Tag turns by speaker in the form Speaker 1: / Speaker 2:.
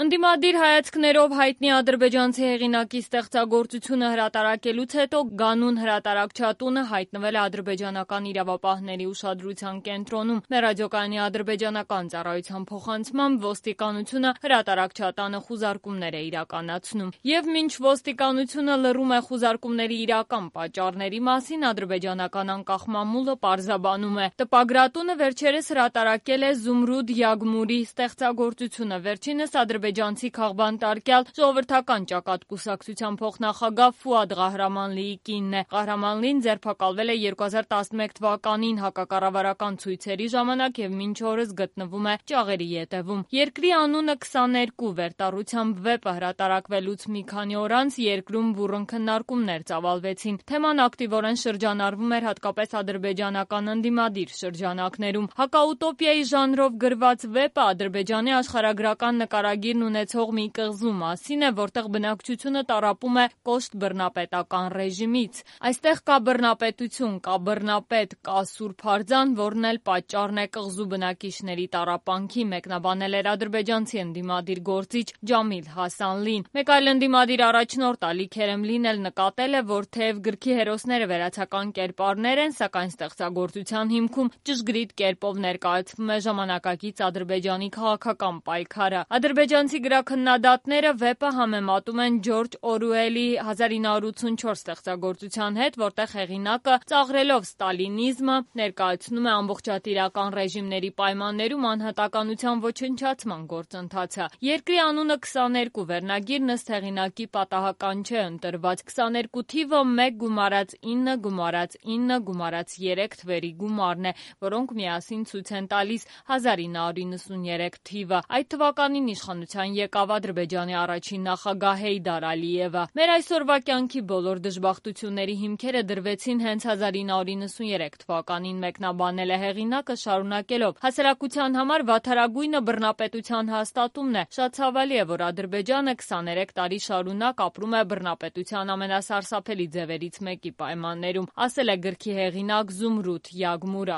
Speaker 1: Ընդդիմադիր հայացքներով հայտնի ադրբեջանցի հեղինակի ստեղծագործությունը հրատարակելուց հետո գանուն հրատարակչատունը հայտնվել է ադրբեջանական իրավապահների ուշադրության կենտրոնում։ Մեր ռադիոկայանի ադրբեջանական ծառայության փոխանցմամբ ոստիկանությունը հրատարակչատանը խուզարկումներ է իրականացնում։ Եվ մինչ ոստիկանությունը լռում է խուզարկումների իրական պատճառների մասին, ադրբեջանական անկախ մամուլը պարզաբանում է. տպագրատունը վերջերս հրատարակել է Զումրուդ Յագմուրի ստեղծագործությունը։ Վերջինս ադրբեջանցի քաղբանտարկյալ ժողովրդական ճակատ կուսակցության փոխնախագահ Ֆուադ Ղահրամանլիի կինն է։ Ղահրամանլին ձերբակալվել է 2011 թվականին հակակառավարական ցույցերի ժամանակ եւ մինչ օրս գտնվում է ճաղերի ետևում։ Երկրի անունը 22 վերտառությամբ վեպը հրատարակվելուց մի քանի օր անց երկրում բուռն քննարկումներ ծավալվեցին։ Թեման ակտիվորեն շրջանառվում էր հատկապես ադրբեջանական ընդդիմադիր շրջանակներում։ Հակաուտոպիայի ժանրով գրված վեպը Ադրբեջանի աշխարհագրական նկարագիրն ունեցող մի կղզու մասին է, որտեղ բնակչությունը տառապում է կոշտ բռնապետական ռեժիմից։ Այստեղ կա բռնապետություն, կա բռնապետ, կա Սուրբ Արձան, որն էլ պատճառն է կղզու բնակիչների տառապանքի, մեկնաբանել էր ադրբեջանցի ընդդիմադիր գործիչ Ջամիլ Հասանլին։ Մեկ այլ ընդդիմադիր առաջնորդ Ալի Քերեմլին էլ նկատել է, որ թեև գրքի հերոսները վերացական կերպարներ են, սակայն ստեղծագործության հիմքում ճշգրիտ կերպով ներկայացվում է ժամանակակից Ադրբեջանի քաղաքական պայքարը։ Ադրբեջանցի գրաքննադատները վեպը համեմատում են Ջորջ Օրուելի 1984 ստեղծագործության հետ, որտեղ հեղինակը ծաղրելով ստալինիզմը ներկայացնում է ամբողջատիրական ռեժիմների պայմաններում անհատականության ոչնչացման գործընթացը։ Երկրի անունը 22 վերնագիրն ըստ հեղինակի պատահական չէ ընտրված։ 22 թիվը 1 գումարած 9 գումարած 9 գումարած 3 թվերի գումարն է, որոնք միասին ցույց են տալիս 1993 թիվը։ Այդ թվականին իշխանության եկավ Ադրբեջանի առաջին նախագահ Հեյդար Ալիևը։ Մեր այսօրվա կյանքի բոլոր դժբախտությունների հիմքերը դրվեցին հենց 1993 թվականին, մեկնաբանել է հեղինակը, շարունակելով. հասարակության համար վատթարագույնը բռնապետության հաստատումն է։ Շատ ցավալի է, որ Ադրբեջանը 23 տարի շարունակ ապրում է բռնապետության ամենասարսափելի ձևերից մեկի պայմաններում, ասել է գրքի հեղինակ Զումրուդ Յագմուրը։